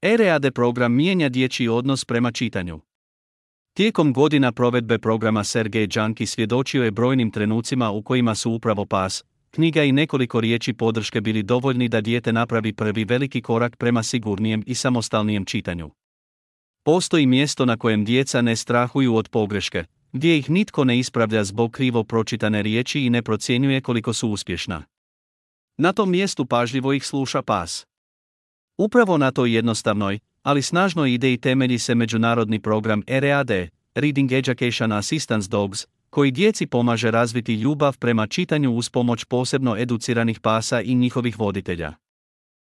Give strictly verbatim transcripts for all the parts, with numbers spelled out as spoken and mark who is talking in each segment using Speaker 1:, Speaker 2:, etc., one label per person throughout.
Speaker 1: E R A D program mijenja dječji odnos prema čitanju. Tijekom godina provedbe programa Sergej Džanki svjedočio je brojnim trenucima u kojima su upravo pas, knjiga i nekoliko riječi podrške bili dovoljni da dijete napravi prvi veliki korak prema sigurnijem i samostalnijem čitanju. Postoji mjesto na kojem djeca ne strahuju od pogreške, gdje ih nitko ne ispravlja zbog krivo pročitane riječi i ne procjenjuje koliko su uspješna. Na tom mjestu pažljivo ih sluša pas. Upravo na toj jednostavnoj, ali snažnoj ideji temelji se međunarodni program R A D, Reading Education Assistance Dogs, koji djeci pomaže razviti ljubav prema čitanju uz pomoć posebno educiranih pasa i njihovih voditelja.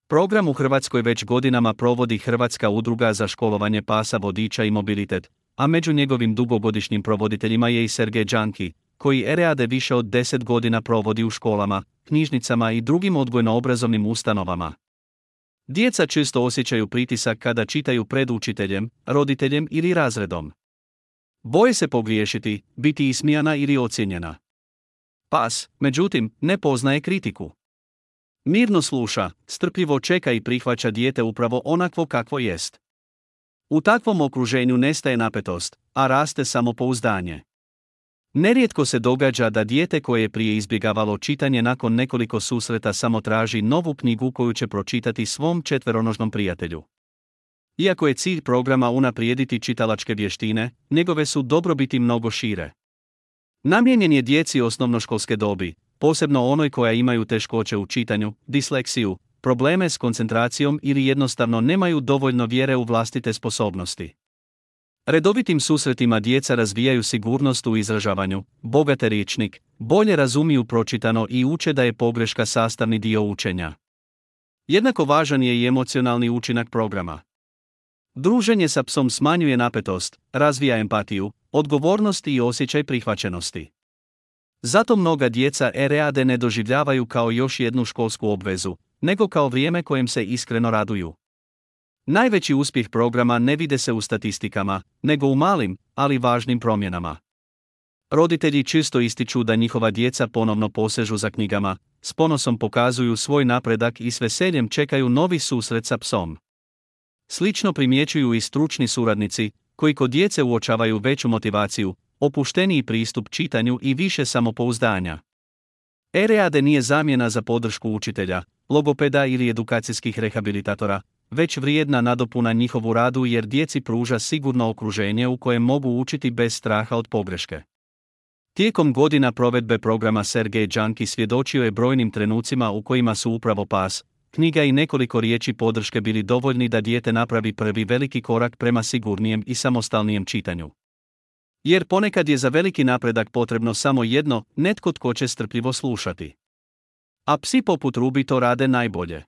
Speaker 1: Program u Hrvatskoj već godinama provodi Hrvatska udruga za školovanje pasa vodiča i mobilitet, a među njegovim dugogodišnjim provoditeljima je i Sergej Džanki, koji R A D više od deset godina provodi u školama, knjižnicama i drugim odgojno-obrazovnim ustanovama. Djeca često osjećaju pritisak kada čitaju pred učiteljem, roditeljem ili razredom. Boje se pogriješiti, biti ismijana ili ocijenjena. Pas, međutim, ne poznaje kritiku. Mirno sluša, strpljivo čeka i prihvaća dijete upravo onakvo kakvo jest. U takvom okruženju nestaje napetost, a raste samopouzdanje. Nerijetko se događa da dijete koje je prije izbjegavalo čitanje nakon nekoliko susreta samo traži novu knjigu koju će pročitati svom četveronožnom prijatelju. Iako je cilj programa unaprijediti čitalačke vještine, njegove su dobrobiti mnogo šire. Namijenjen je djeci osnovnoškolske dobi, posebno onoj koja imaju teškoće u čitanju, disleksiju, probleme s koncentracijom ili jednostavno nemaju dovoljno vjere u vlastite sposobnosti. Redovitim susretima djeca razvijaju sigurnost u izražavanju, bogate rječnik, bolje razumiju pročitano i uče da je pogreška sastavni dio učenja. Jednako važan je i emocionalni učinak programa. Druženje sa psom smanjuje napetost, razvija empatiju, odgovornost i osjećaj prihvaćenosti. Zato mnoga djeca R A D ne doživljavaju kao još jednu školsku obvezu, nego kao vrijeme kojem se iskreno raduju. Najveći uspjeh programa ne vide se u statistikama, nego u malim, ali važnim promjenama. Roditelji često ističu da njihova djeca ponovno posežu za knjigama, s ponosom pokazuju svoj napredak i s veseljem čekaju novi susret sa psom. Slično primjećuju i stručni suradnici, koji kod djece uočavaju veću motivaciju, opušteniji pristup čitanju i više samopouzdanja. R A D nije zamjena za podršku učitelja, logopeda ili edukacijskih rehabilitatora, već vrijedna nadopuna njihovu radu jer djeci pruža sigurno okruženje u kojem mogu učiti bez straha od pogreške. Tijekom godina provedbe programa Sergej Džanki svjedočio je brojnim trenucima u kojima su upravo pas, knjiga i nekoliko riječi podrške bili dovoljni da dijete napravi prvi veliki korak prema sigurnijem i samostalnijem čitanju. Jer ponekad je za veliki napredak potrebno samo jedno, netko tko će strpljivo slušati. A psi poput Ruby to rade najbolje.